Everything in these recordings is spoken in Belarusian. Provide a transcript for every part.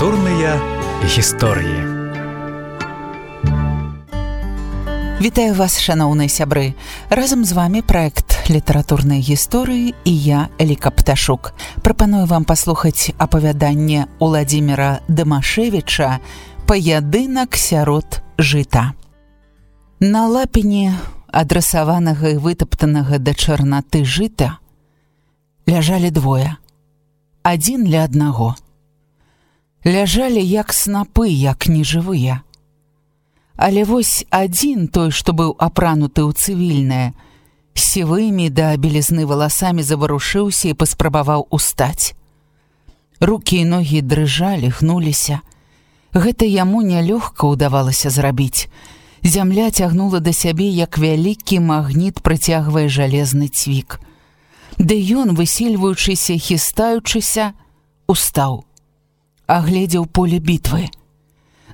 Літаратурныя гісторыі. Вітаю вас, шаноўныя сябры. Разам з вами праект літаратурныя гісторыі і я, Эліка Пташук. Прапаную вам паслухаць апавяданне Уладзіміра Дамашевіча «Паядынак сярод жыта». На лапені адрасаванага і вытаптанага да чарнаты жыта ляжалі двое. Адзін ля аднаго. Ляжалі як снапы, як нежывыя. Але вось адзін, той, што быў апрануты ў цывільнае, сівымі да белізны валасамі заварушыўся і паспрабаваў устаць. Рукі і ногі дрыжалі, гнуліся. Гэта яму нялёгка ўдавалася зрабіць. Зямля цягнула да сябе, як вялікі магніт прыцягвае жалезны цвік. Ды ён, высільваючыся, хістаючыся, устаў. Агледзеў поле бітвы.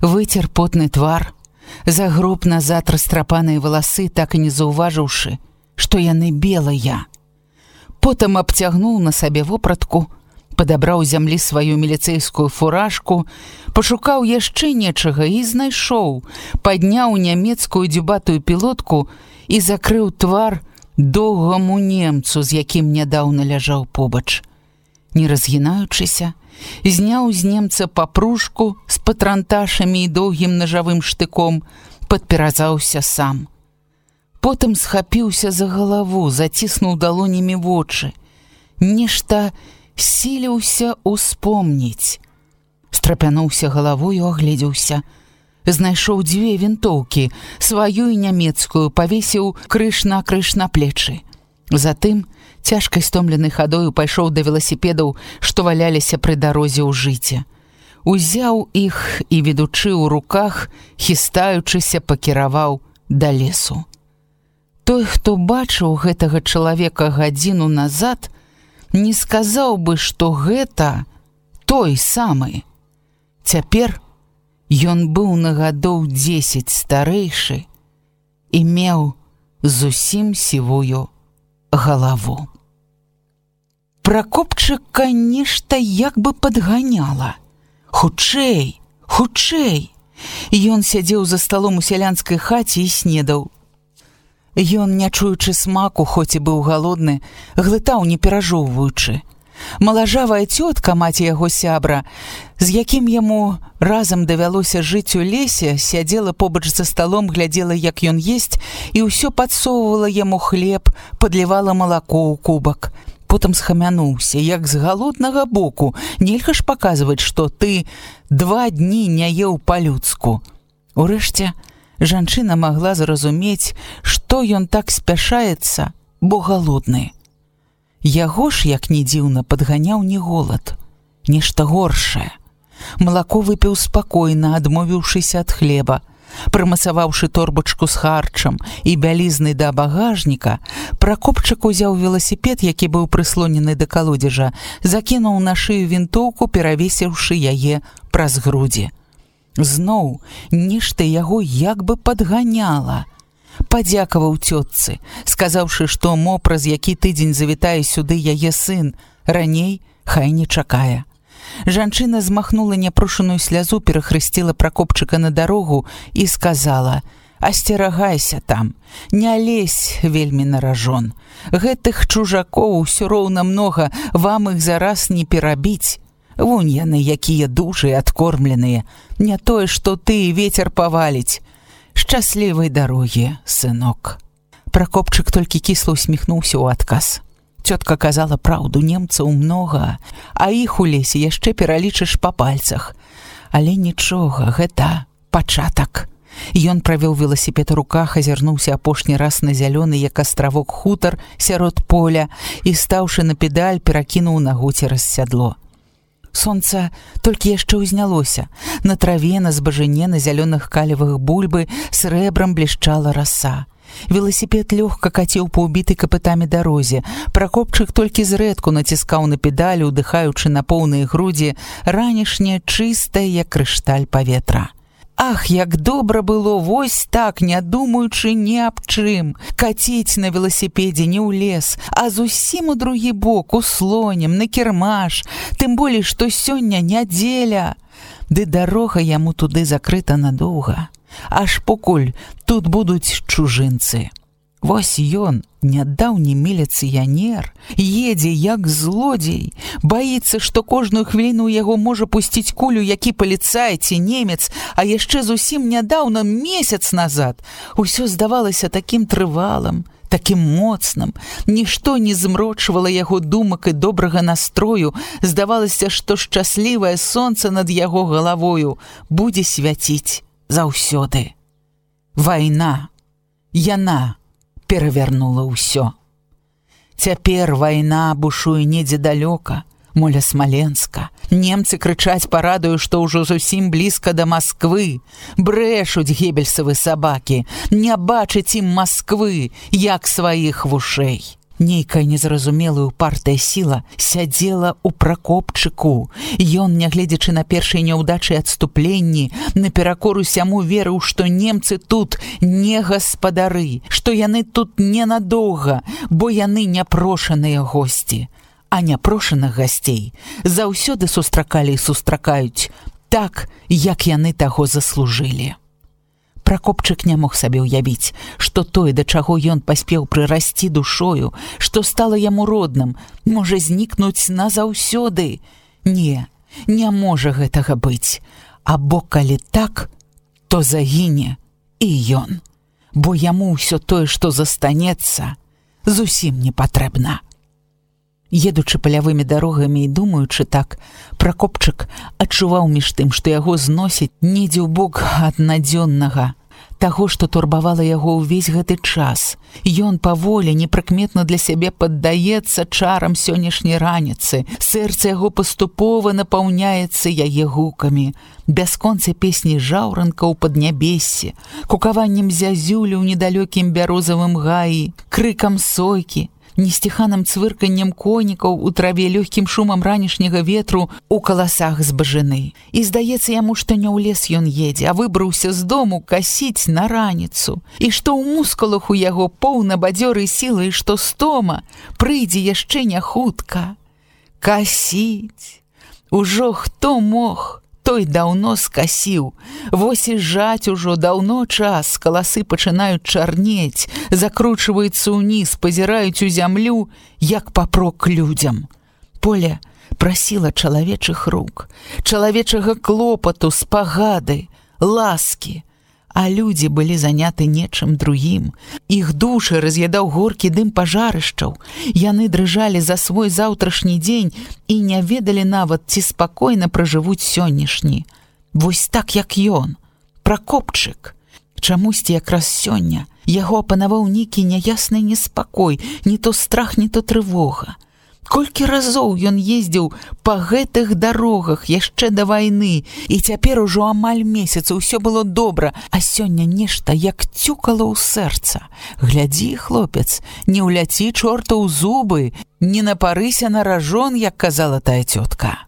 Выцер потны твар, загроб назад растрапаныя валасы, так і не заўважыўшы, што яны белыя. Потым абцягнуў на сабе вопратку, падабраў зямлі сваю міліцэйскую фуражку, пашукаў яшчэ нечага і знайшоў, падняў нямецкую дзюбатую пілотку і закрыў твар доўгаму немцу, з якім нядаўна ляжаў побач. Не разгінаючыся, зняў з немца папружку з патранташамі і доўгім нажавым штыком, падперазаўся сам. Потым схапіўся за галаву, заціснуў далонямі вочы. Нешта сіліўся успомніць. Страпянуўся галавою, агледзеўся. Знайшоў дзве вінтоўкі, сваю і нямецкую, павесіў крыж на плечы. Затым цяжкай стомленай хадою пайшоў да веласіпедаў, што валяліся пры дарозе ў жыце. Узяў іх і, ведучы ў руках, хістаючыся, пакіраваў да лесу. Той, хто бачыў гэтага чалавека гадзіну назад, не сказаў бы, што гэта той самы. Цяпер ён быў на гадоў 10 старэйшы і меў зусім сівую галаву. Пракопчыка нешта як бы падганяла. Хутчэй, хутчэй! Ён сядзеў за сталом у сялянскай хаце і снедаў. Ён, не чуючы смаку, хоць і быў галодны, глытаў, не перажоўваючы. Малажавая цётка, маці яго сябра, з якім яму разам давялося жыць у лесе, сядзела побач за сталом, глядзела, як ён есць, і ўсё падсоўвала яму хлеб, падлівала малако ў кубак. Потым схамянуўся, як з галоднага боку. Нельга ж паказваць, што ты 2 дні не еў па-людску. Урэшце, жанчына магла зразумець, што ён так спяшаецца, бо галодны. Яго ж, як ні дзіўна, падганяў не голад, нешта горшае. Малако выпіў спакойна, адмовіўшыся ад хлеба. Прымацаваўшы торбачку з харчам і бялізнай да багажніка, Пракопчык узяў веласіпед, які быў прыслонены да калодзежа, закінуў на шыю вінтоўку, перавесіўшы яе праз грудзі. Зноў нешта яго як бы падганяла. Падзякаваў цётцы, сказаўшы, што мо праз які тыдзень завітае сюды яе сын, раней хай не чакае. Жанчына змахнула няпрошаную слязу, перахрысціла Пракопчыка на дарогу і сказала: «Асцерагайся там, не лезь вельмі на ражон. Гэтых чужакоў усё роўна многа, вам іх зараз не перабіць. Вунь яны, якія дужыя, адкормленыя. Не тое, што ты, вецер паваліць. Шчаслівай дарогі, сынок». Пракопчык толькі кісла усміхнуўся ў адказ. Цётка казала праўду, немцаў многа, а іх у лесе яшчэ пералічыш па пальцах. Але нічога, гэта пачатак. Ён правёў веласіпед у руках, азірнуўся апошні раз на зялёны, як астравок, хутар сярод поля і, стаўшы на педаль, перакінуў нагу цераз сядло. Сонца толькі яшчэ ўзнялося. На траве, на збажыне, на зялёных калевых бульбы срэбрам блішчала раса. Веласіпед лёгка каціў па ўбітай капытамі дарозе. Пракопчык толькі зрэдку націскаў на педалі, удыхаючы на поўныя грудзі ранішняе чыстае, як крышталь, паветра. Ах, як добра было вось так, не думаючы ні аб чым, каціць на веласіпедзе не ў лес, а зусім у другі бок, у слонем, на кірмаш, тым болей, што сёння нядзеля. ды дарога яму туды закрыта надоўга, аж покуль тут будуць чужынцы. Вось ён, нядаўні міліцыянер, едзе як злодзей, баіцца, што кожную хвіліну ў яго можа пусціць кулю які паліцай ці немец, а яшчэ зусім нядаўна, месяц назад, усё здавалася такім трывалым, такім моцным, нішто не змрочвала яго думак і добрага настрою, здавалася, што шчаслівае сонца над яго галавою будзе свяціць заўсёды. Вайна, яна перавярнула ўсё. Цяпер вайна бушуе недзе далёка, моля Смаленска. Немцы крычаць парадаю, што ўжо зусім блізка да Масквы. Брэшуць гебельсавы сабакі, не бачыць ім Масквы, як сваіх вушэй. Нейкая незразумелая упартая сіла сядзела ў Пракопчыку. Ён, нягледзячы на першыя няўдачы і адступленні, наперакор усяму верыў, што немцы тут не гаспадары, што яны тут ненадоўга, бо яны няпрошаныя госці. А няпрошаных гасцей заўсёды сустракалі і сустракаюць так, як яны таго заслужылі. Пракопчык не мог сабе ўявіць, што тое, да чаго ён паспеў прырасці душою, што стала яму родным, можа знікнуць назаўсёды. Не можа гэтага быць. Або калі так, то загіне і ён, бо яму ўсё тое, што застанецца, зусім не патрэбна. Едучы палявымі дарогамі і думаючы так, Пракопчык адчуваў між тым, што яго зносіць недзе ў бок ад надзённага, таго, што турбавала яго ўвесь гэты час. Ён паволі, непрыкметна для сябе паддаецца чарам сённяшняй раніцы. Сэрца яго паступова напаўняецца яе гукамі. Бясконцай песні жаўранка ў паднябессі, кукаваннем зязюлі ў недалёкім бярозавым гаі, крыкам сойкі, несціханым цвырканнем конікаў у траве, лёгкім шумам ранішняга ветру у каласах збажыны. І здаецца яму, што не ў лес ён едзе, а выбраўся з дому касіць на раніцу. І што ў мускулах у яго поўна бадзёрай сілы, і што стома прыйдзе яшчэ не хутка. Касіць! Ужо хто мог, той даўно скасіў. Вось і жаць ужо даўно час, каласы пачынаюць чарнець, закручваюцца ўніз, пазіраюць у зямлю, як папрок людзям. Поле прасіла чалавечых рук, чалавечага клопату, спагады, ласкі. А людзі былі заняты нечым другім. Іх душы раз'ядаў горкі дым пажарышчаў. Яны дрыжалі за свой заўтрашні дзень і не ведалі нават, ці спакойна пражывуць сённяшні. Вось так, як ён, Пракопчык. Чамусьці якраз сёння яго апанаваў нейкі няясны неспакой, не то страх, не то трывога. Колькі разоў ён ездзіў па гэтых дарогах яшчэ да вайны, і цяпер ужо амаль месяц усё было добра, а сёння нешта як цюкала ў сэрца. Глядзі, хлопец, не ўляці чорта ў зубы, не напарыся на ражон, як казала тая цётка.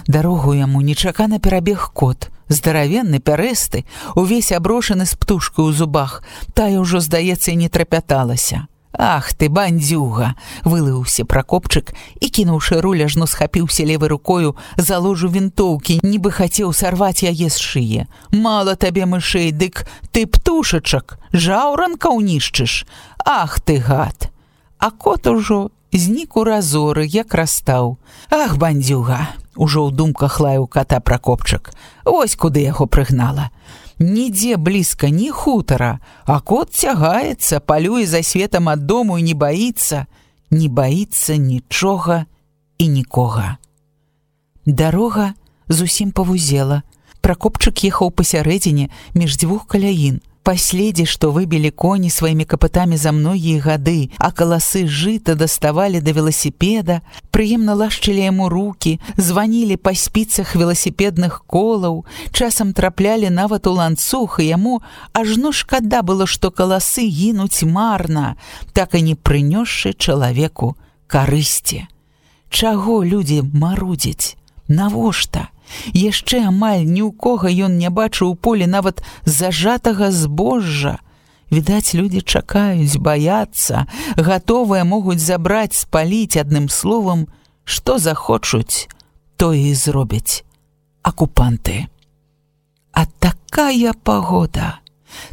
Дарогу яму нечакана перабег кот, здаравенны, пярэсты, увесь аброшаны з птушкай у зубах. Тая ўжо, здаецца, і не трапяталася. «Ах ты, бандзюга!» — вылыўся Пракопчык і, кінуўшы руль, ажно схапіўся левай рукою за ложу вінтоўкі, нібы хацеў сарваць яе з шые. «Мала табе мышэй, дык ты птушачак, жаўранка ўнішчыш! Ах ты, гад!» А кот ужо знік у разоры, як растаў. «Ах, бандзюга!» — ужо ў думках лаяў ката Пракопчык. «Вось куды яго прыгнала. Нідзе блізка, ні хутара, а кот цягаецца, палюе за светам ад дому і не баіцца нічога і нікога». Дарога зусім павузела. Пракопчык ехаў пасярэдзіне між дзвюх каляін. Паследзе, што выбілі коні сваімі капытамі за многія гады, а каласы жыта даставалі да веласіпеда, прыемна лашчылі яму рукі, званілі па спіцах веласіпедных колаў, часам траплялі нават у ланцуг, і яму ажно шкада было, што каласы гінуць марна, так і не прынёсшы чалавеку карысці. Чаго людзі марудзяць? Навошта? Яшчэ амаль ні ў кога ён не бачыў у полі нават зажатага збожжа. Відаць, людзі чакаюць, баяцца, гатовыя могуць забраць, спаліць, адным словам, што захочуць, тое і зробяць акупанты. А такая пагода!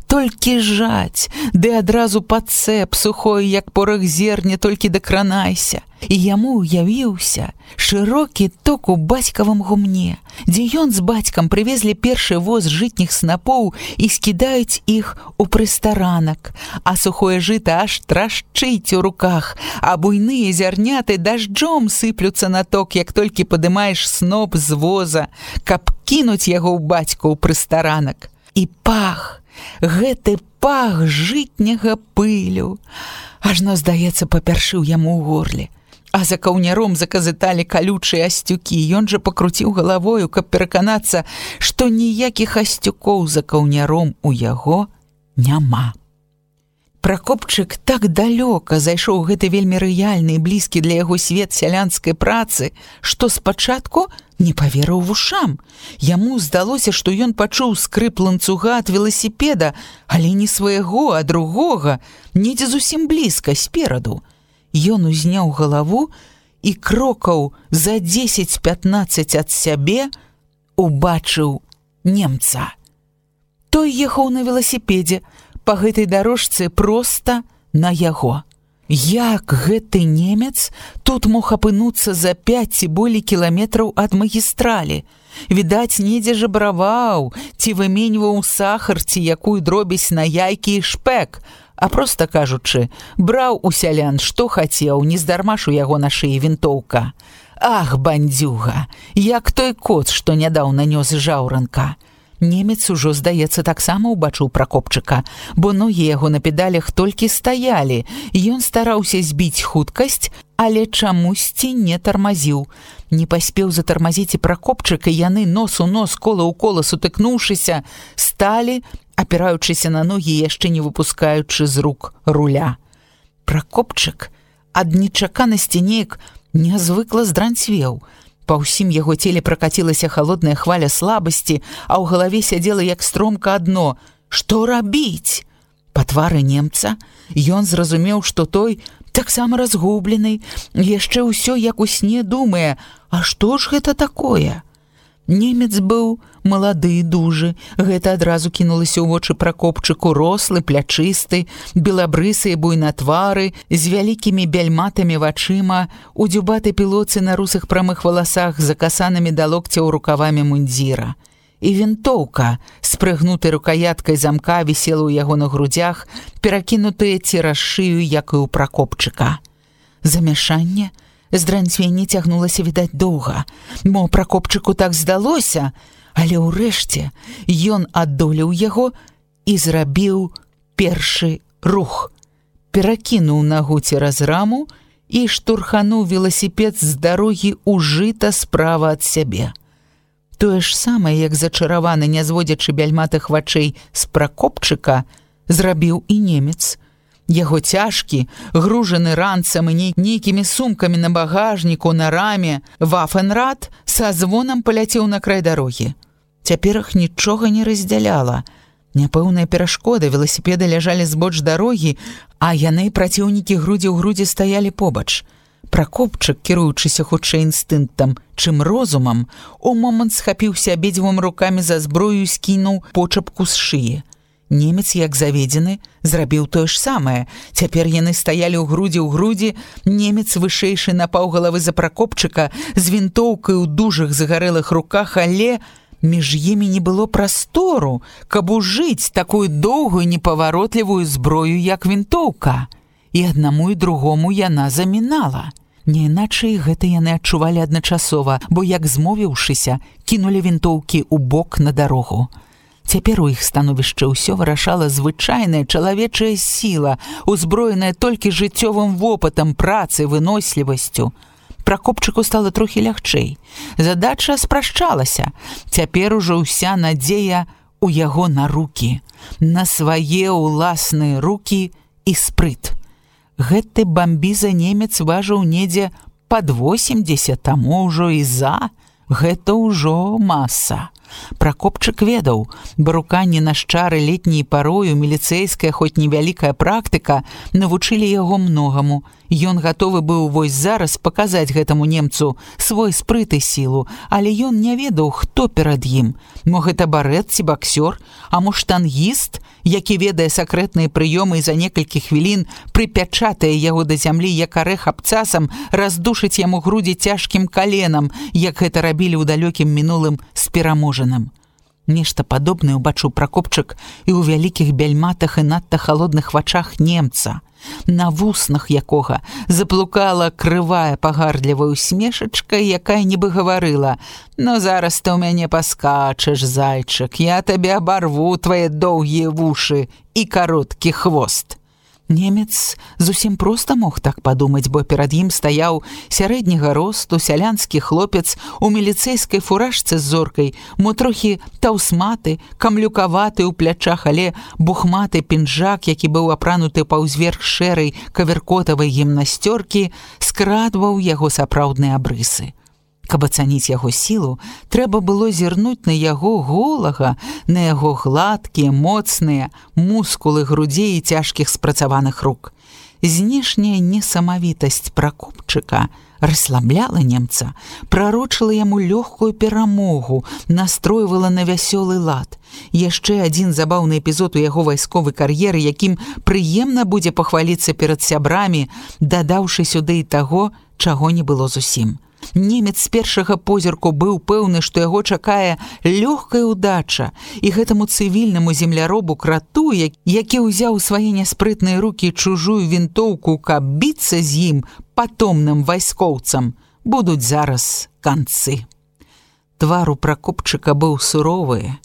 Толькі жаць, ды адразу пад цэп, сухое, як порах зерня, толькі дакранайся. І яму ўявіўся шырокі ток у бацькавым гумне, дзе ён з бацькам прывезлі першы воз жытніх снапоў і скідаюць іх у прыстаранак, а сухое жыта аж трашчыць у руках, а буйныя зярняты дажджом сыплюцца на ток, як толькі падымаеш сноп з воза, каб кінуць яго ў бацьку ў прыстаранак. І пах, гэты пах жытняга пылю, ажно, здаецца, папяршыў яму ў горле. А за каўняром заказыталі калючыя асцюкі. Ён жа пакруціў галавою, каб пераканацца, што ніякіх асцюкоў за каўняром у яго няма. Пракопчык так далёка зайшоў гэты вельмі рэальны і блізкі для яго свет сялянскай працы, што спачатку не паверыў вушам. Яму здалося, што ён пачуў скрып ланцуга ад веласіпеда, але не свайго, а другога, недзе зусім блізка, спераду. Ён узняў галаву і крокаў за 10-15 ад сябе убачыў немца. Той ехаў на веласіпедзе, па гэтай дарожцы проста на яго. Як гэты немец тут мог апынуцца за 5 ці болей кіламетраў ад магістралі? Відаць, недзе жабраваў, ці выменьваў сахар, ці якую дробязь на яйкі і шпэк, а проста кажучы, браў у сялян, што хацеў, нездарма ж у яго на шыі вінтоўка. Ах, бандзюга, як той кот, што нядаўна нёс жаўранка. Немец ужо, здаецца, таксама ўбачыў Пракопчыка, бо ногі яго на педалях толькі стаялі. Ён стараўся збіць хуткасць, але чамусьці не тармазіў. Не паспеў затармазіць і Пракопчык, і яны нос у нос, кола ў кола сутыкнуўшыся, сталі, апіраючыся на ногі, яшчэ не выпускаючы з рук руля. Пракопчык ад нечаканасці неяк нязвыкла здранцвеў. Па ўсім яго целе пракацілася халодная хваля слабасці, а ў галаве сядзела як стромка адно: што рабіць? Па твары немца ён зразумеў, што той таксама разгублены, яшчэ ўсё як у сне думае: а што ж гэта такое? Немец быў малады, дужы. Гэта адразу кінулася ў вочы Пракопчыку, рослы, плячысты, белабрысы і буйнатвары, з вялікімі бяльматамі вачыма, у дзюбатай пілоцы на русых прамых валасах, закасанымі да локцяў рукавамі мундзіра. І вінтоўка з прыгнутай рукаяткай замка вісела ў яго на грудзях, перакінутая цераз шыю, як і ў Пракопчыка. Замяшанне, здранцвенне цягнулася, відаць, доўга. Мо Пракопчыку так здалося, але ўрэшце ён адолеў яго і зрабіў першы рух. Перакінуў нагу цераз раму і штурхануў веласіпед з дарогі ў жыта справа ад сябе. Тое ж самае, як зачараваны, не зводзячы бяльматых вачэй з Пракопчыка, зрабіў і немец. Яго цяжкі, гружаны ранцам і нейкімі сумкамі на багажніку, на раме, вафенрад са звонам паляцеў на край дарогі. Цяпер іх нічога не раздзяляла. Няпэўная перашкода, веласіпеды ляжалі збоч дарогі, а яны, праціўнікі, грудзі ў грудзі стаялі побач. Пракопчык, кіруючыся хутчэй інстынктам, чым розумам, у момант схапіўся абедзвюма рукамі за зброю і скінуў почапку з шыі. Немец, як заведзены, зрабіў тое ж самае. Цяпер яны стаялі ў грудзі, немец вышэйшы на паўгалавы за Пракопчыка, з вінтоўкай у дужых загарэлых руках, але між імі не было прастору, каб ужыць такую доўгую непаваротлівую зброю, як вінтоўка. І аднаму і другому яна замінала. Не іначай гэта яны адчувалі адначасова, бо, як змовіўшыся, кінулі вінтоўкі ў бок на дарогу. Цяпер у іх становішча ўсё вырашала звычайная чалавечая сіла, узброеная толькі жыццёвым вопытам, працай, вынослівасцю. Пракопчыку стала трохі лягчэй. Задача спрашчалася. Цяпер ужо ўся надзея у яго на рукі, на свае ўласныя рукі і спрыт. Гэты бамбіза немец важыў недзе пад 80, таму ўжо і за. Гэта ўжо маса. Пракопчык ведаў, баруканні на шчары летняй парою, міліцэйская, хоць невялікая практыка, навучылі яго многаму. Ён гатовы быў вось зараз паказаць гэтаму немцу свой спрыт і сілу, але ён не ведаў, хто перад ім. Мо гэта барэт ці баксёр, а мо штангіст, які ведае сакрэтныя прыёмы і за некалькі хвілін прыпячатае яго да зямлі, як арэх абцасам, раздушыць яму грудзі цяжкім каленам, як гэта рабілі ў далёкім мінулым з пераможаным. Нешта падобнае ўбачыў Пракопчык і ў вялікіх бяльматах і надта халодных вачах немца, на вуснах якога заплукала крывая пагардлівая усмешачка, якая нібы гаварыла: «Ну зараз ты ў мяне паскачаш, зайчык, я табе абарву твае доўгія вушы і кароткі хвост». Немец зусім проста мог так падумаць, бо перад ім стаяў сярэдняга росту сялянскі хлопец у міліцэйскай фуражцы з зоркай, мо трохі таўсматы, камлюкаваты ў плячах, але бухматы пінжак, які быў апрануты паўзверх шэрай каверкотавай гімнасцёркі, скрадваў яго сапраўдныя абрысы. Каб ацаніць яго сілу, трэба было зірнуць на яго голага, на яго гладкія, моцныя мускулы грудзей і цяжкіх спрацаваных рук. Знешняя несамавітасць Пракопчыка расслабляла немца, прарочыла яму лёгкую перамогу, настройвала на вясёлы лад. Яшчэ адзін забаўны эпізод у яго вайсковай кар'еры, якім прыемна будзе пахваліцца перад сябрамі, дадаўшы сюды і таго, чаго не было зусім. Немец з першага позірку быў пэўны, што яго чакае лёгкая ўдача, і гэтаму цывільнаму земляробу крату, які ўзяў у свае няспрытныя рукі чужую вінтоўку, каб біцца з ім, патомным вайскоўцам, будуць зараз канцы. Твар у Пракопчыка быў суровы,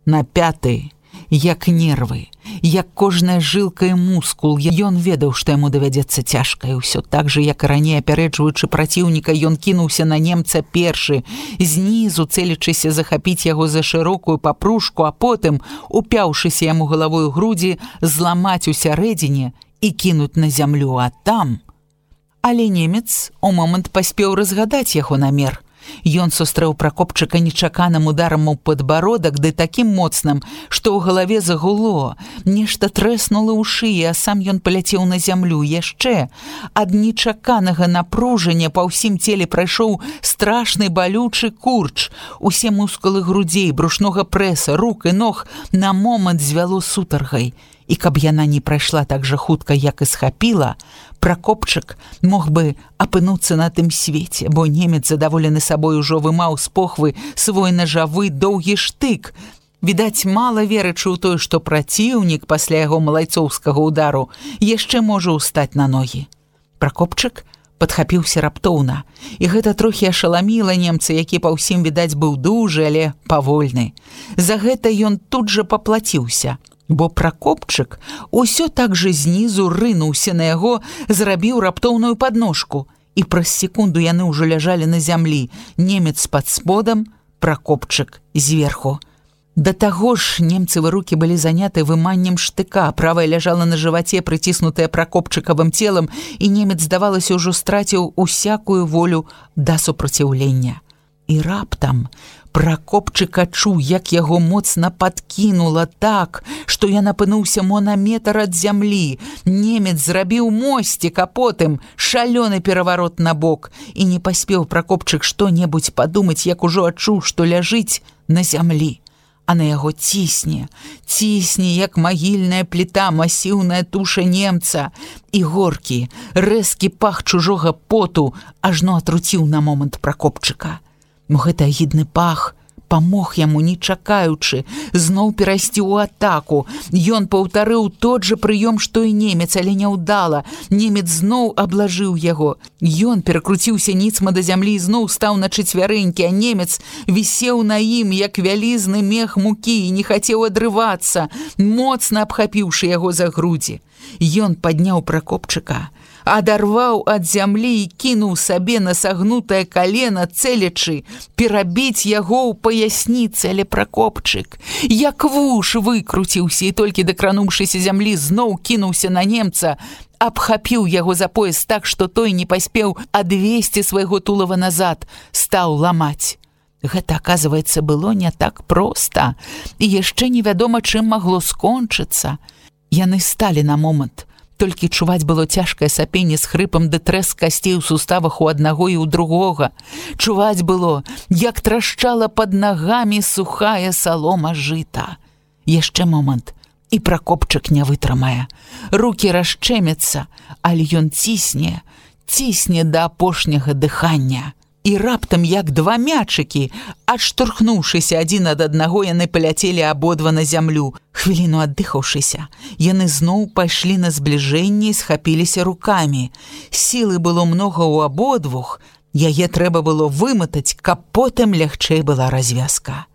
напяты, як нервы, як кожная жылка і мускул. Ён ведаў, што яму давядзецца цяжка, і ўсё так жа, як і раней апярэджваючы праціўніка, ён кінуўся на немца першы, знізу цэлячыся захапіць яго за шырокую папружку, а потым, упяўшыся яму галавой у грудзі, зламаць у сярэдзіне і кінуць на зямлю, а там... Але немец у момант паспеў разгадаць яго намер. Ён сустрэў Пракопчыка нечаканым ударам у падбародак, ды такім моцным, што ў галаве загуло, нешта трэснула ў шыі, а сам ён паляцеў на зямлю. Яшчэ ад нечаканага напружання па ўсім целе прайшоў страшны балючы курч. Усе мускулы грудзей, брушнога прэса, рук і ног на момант звяло сутаргай. І каб яна не прайшла так жа хутка, як і схапіла, Пракопчык мог бы апынуцца на тым свеце, бо немец, задаволены сабой, ужо вымаў з похвы свой нажавы доўгі штык. Відаць, мала верачы ў тое, што праціўнік пасля яго малайцоўскага ўдару яшчэ можа ўстаць на ногі. Пракопчык падхапіўся раптоўна, і гэта трохі ашаламіла немца, які па ўсім, відаць, быў дужы, але павольны. За гэта ён тут жа паплаціўся, бо Пракопчык усё так жа знізу рынуўся на яго, зрабіў раптоўную падножку, і праз секунду яны ўжо ляжалі на зямлі, немец пад сподам, Пракопчык зверху. Да таго ж немцевы рукі былі заняты выманнем штыка, правая ляжала на жываце, прыціснутая Пракопчыкавым целам, і немец, здавалася, ўжо страціў усякую волю да супраціўлення. І раптам Пракопчык адчуў, як яго моцна падкінула так, што ён апынуўся мо на метр ад зямлі. Немец зрабіў мосцік, а потым шалёны пераварот на бок. І не паспеў Пракопчык што-небудзь падумаць, як ужо адчуў, што ляжыць на зямлі. А на яго цісне, як магільная пліта, масіўная туша немца. І горкі, рэзкі пах чужога поту ажно атруціў на момант Пракопчыка. Гэты агідны пах памог яму, не чакаючы, зноў перайсці ў атаку. Ён паўтарыў тот жа прыём, што і немец, але няўдала. Немец зноў аблажыў яго. Ён перакруціўся ніцма да зямлі і зноў стаў на чацвярэнькі, а немец вісеў на ім, як вялізны мех мукі, і не хацеў адрывацца, моцна абхапіўшы яго за грудзі. Ён падняў Пракопчыка, адарваў ад зямлі і кінуў сабе на сагнутае калена, цэлячы перабіць яго ў паясніцы, але Пракопчык, як вуш, выкруціўся і толькі дакрануўшыся зямлі, зноў кінуўся на немца, абхапіў яго за пояс так, што той не паспеў адвесці свайго тулава назад, стаў ламаць. Гэта, аказваецца, было не так проста, і яшчэ невядома, чым магло скончыцца. Яны сталі на момант, Толькі чуваць было цяжкае сапенне з хрыпам ды трэск касцей у суставах у аднаго і ў другога. Чуваць было, як трашчала пад нагамі сухая салома жыта. Яшчэ момант, і Пракопчык не вытрымае. Рукі расчэмяцца, але ён цісне да апошняга дыхання. І раптам, як два мячыкі, адштурхнуўшыся адзін ад аднаго, яны паляцелі абодва на зямлю. Хвіліну аддыхаўшыся, яны зноў пайшлі на збліжэнне і схапіліся рукамі. Сілы было многа ў абодвух, яе трэба было выматаць, каб потым лягчэй была развязка.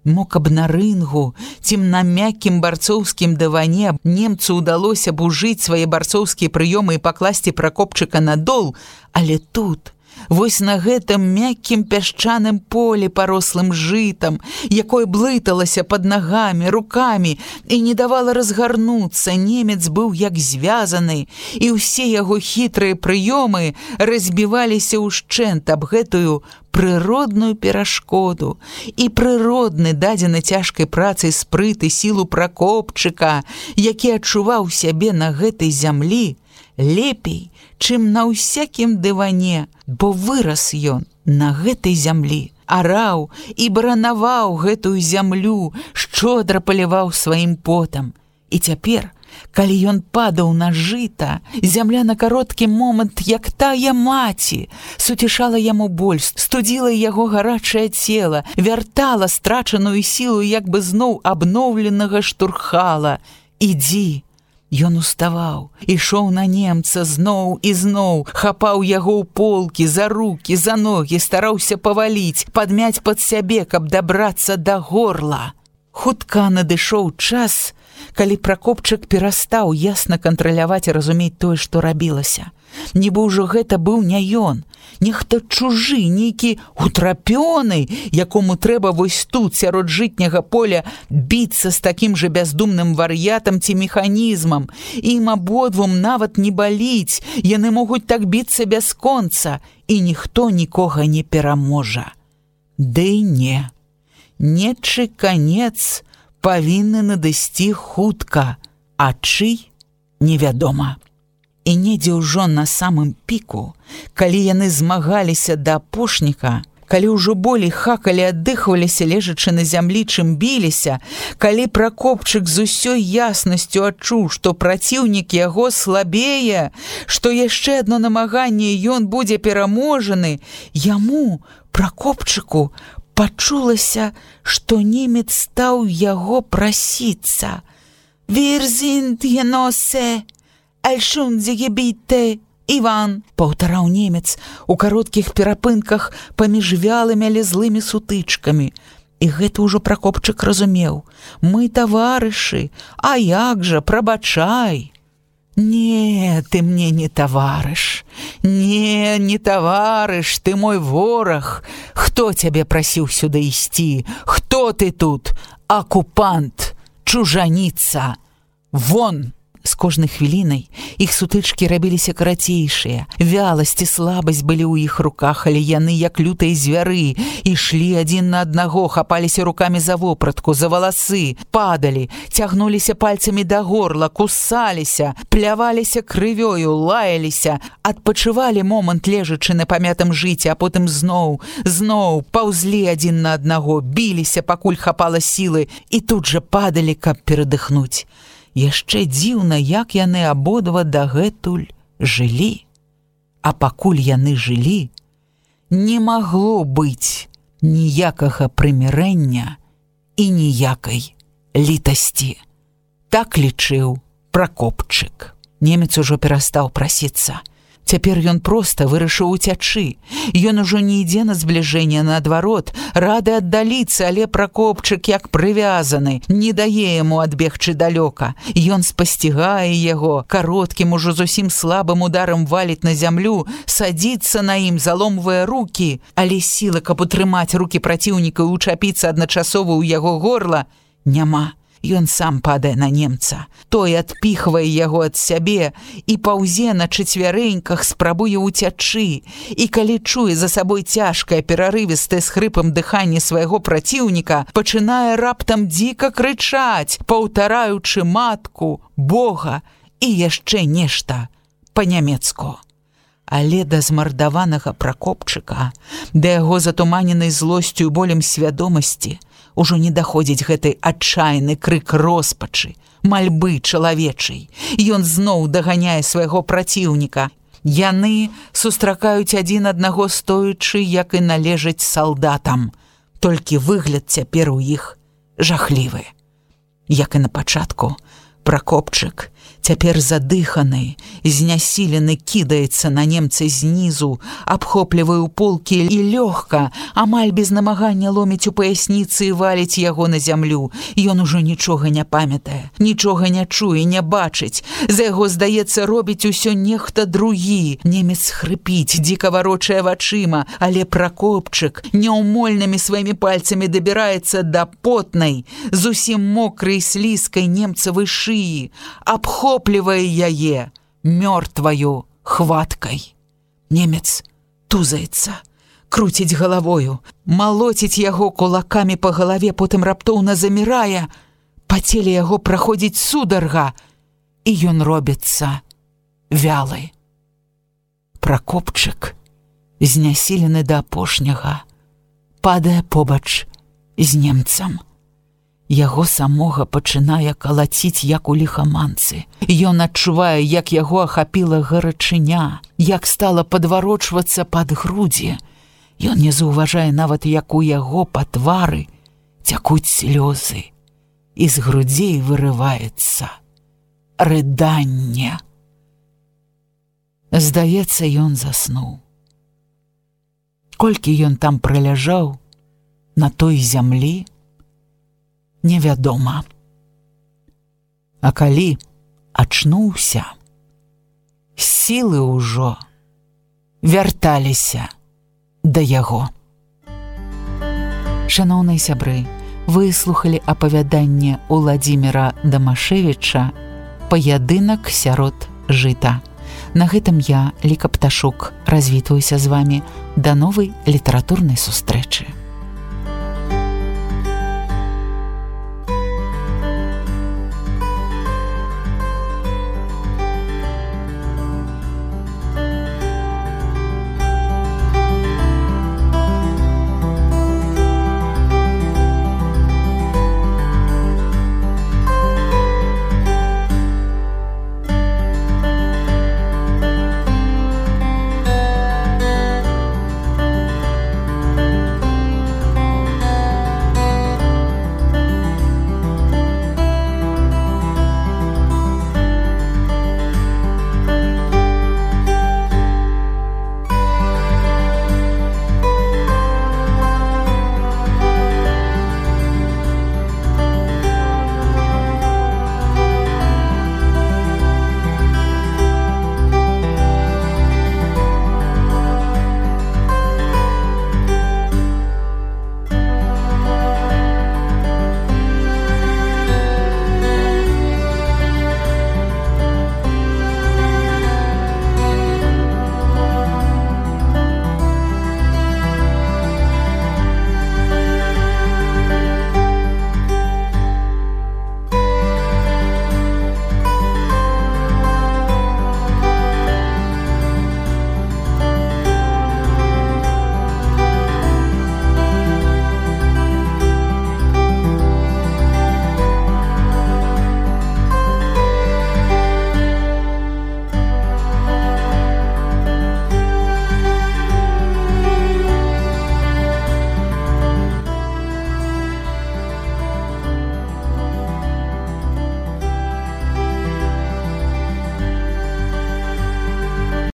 Мо каб на рынгу, цім на мяккім барцоўскім дыване немцу ўдалося б ужыць свае барцоўскія прыёмы і пакласці Пракопчыка на дол, але тут, вось на гэтым мяккім пясчаным полі, парослым жытам, якое блыталася пад нагамі, рукамі і не давала разгарнуцца, немец быў як звязаны, і ўсе яго хітрыя прыёмы разбіваліся ўшчэнт аб гэтую прыродную перашкоду і прыродны дадзены цяжкай працай спрыт і сілу Пракопчыка, які адчуваў сябе на гэтай зямлі лепей, чым на ўсякім дыване, бо вырас ён на гэтай зямлі, араў і баранаваў гэтую зямлю, шчодра паліваў сваім потам. І цяпер, калі ён падаў на жыта, зямля на кароткі момант, як тая маці, суцішала яму боль, студзіла яго гарачае цела, вяртала страчаную сілу, як бы зноў абноўленага штурхала. «Ідзі!» Ён уставаў, ішоў на немца зноў і зноў, хапаў яго ў полкі, за рукі, за ногі, стараўся паваліць, падмяць пад сябе, каб дабрацца да горла. Хутка надышоў час, калі Пракопчык перастаў ясна кантраляваць і разумець тое, што рабілася. Нібы ўжо гэта быў не ён, нехта чужы, нейкі утрапёны, якому трэба вось тут, сярод жытняга поля, біцца з такім жа бяздумным вар'ятам ці механізмам. Ім абодвум нават не баліць, яны могуць так біцца бясконца, і ніхто нікога не пераможа. Ды не. Нечы канец павінны надысці хутка, а чый невядома. І недзе ўжо на самым піку, калі яны змагаліся да апошніка, калі ўжо болей хакалі, аддыхваліся, лежачы на зямлі, чым біліся, калі Пракопчык з усёй яснасцю адчуў, што праціўнік яго слабее, што яшчэ адно намаганне ён будзе пераможаны, яму, Пракопчыку, пачулася, што немец стаў яго прасіцца. «Wir sind Genosse, Альшунзегебіте, Іван», паўтараў немец у кароткіх перапынках паміж вялымі, але злымі сутычкамі. І гэта ўжо Пракопчык разумеў. «Мы таварышы, а як жа, прабачай». «Не, ты мне не таварыш, не таварыш, ты мой вораг. Хто цябе прасіў сюды ісці? Хто ты тут? Акупант, чужаніца, вон!» З кожнай хвілінай іх сутычкі рабіліся карацейшыя. Вяласць і слабасць былі ў іх руках, але яны, як лютыя звяры, ішлі адзін на аднаго, хапаліся рукамі за вопратку, за валасы, падалі, цягнуліся пальцамі да горла, кусаліся, пляваліся крывёю, лаяліся, адпачывалі момант, лежачы на памятым жыце, а потым зноў паўзлі адзін на аднаго, біліся, пакуль хапала сілы, і тут жа падалі, каб перадыхнуць. Яшчэ дзіўна, як яны абодва дагэтуль жылі. А пакуль яны жылі, не магло быць ніякага прымірэння і ніякай літасці. Так лічыў Пракопчык. Немец ужо перастаў прасіцца. Цяпер ён проста вырашыў уцячы. Ён ужо не ідзе на збліжэнне, наадварот, рады аддаліцца, але Пракопчык, як прывязаны, не дае яму адбегчы далёка. Ён спасцігае яго, кароткім, ужо зусім слабым ударам валіць на зямлю, садзіцца на ім, заломвае рукі, але сілы, каб утрымаць рукі праціўніка і учапіцца адначасова ў яго горла, няма. Ён сам падае на немца. Той адпіхвае яго ад сябе і паўзе на чацвярэньках, спрабуе ўцячы. І калі чуе за сабой цяжкае, перарывістае з хрыпам дыханне свайго праціўніка, пачынае раптам дзіка крычаць, паўтараючы матку, Бога і яшчэ нешта па-нямецку. Але да змардаванага Пракопчыка, да яго затуманенай злосцю і болем свядомасці, ужо не даходзіць гэты адчайны крык роспачы, мальбы чалавечай. Ён зноў даганяе свайго праціўніка. Яны сустракаюць адзін аднаго стоячы, як і належаць салдатам. Толькі выгляд цяпер у іх жахлівы. Як і на пачатку, Пракопчык, цяпер задыханы, знясілены, кідаецца на немца знізу, абхоплівае ў полкі і лёгка, амаль без намагання ломіць у паясніцы і валіць яго на зямлю. Ён ужо нічога не памятае, нічога не чуе, не бачыць. За яго, здаецца, робіць усё нехта другі. Немец хрыпіць, дзіка варочае вачыма, але Пракопчык няўмольнымі сваімі пальцамі дабіраецца да потнай, зусім мокрай слізкай немцавай шыі, абхоплівае яе мёртваю хваткай. Немец тузаецца, круціць галавою, малоціць яго кулакамі па галаве, потым раптоўна замірае, па целе яго праходзіць сударга, і ён робіцца вялы. Пракопчык, знясілены да апошняга, падае побач з немцам. Яго самога пачынае калаціць, як у ліхаманцы. Ён адчувае, як яго ахапіла гарачыня, як стала падварочвацца пад грудзі. Ён не заўважае нават, як у яго па твары цякуць слёзы, і з грудзей вырываецца рыданне. Здаецца, ён заснуў. Колькі ён там праляжаў на той зямлі, невядома. А калі ачнуўся, сілы ўжо вярталіся да яго. Шаноўныя сябры, вы слухалі апавяданне Уладзіміра Дамашевіча «Паядынак сярод жыта». На гэтым я, Ліка Пташук, развітваюся з вамі. Да новай літаратурнай сустрэчы.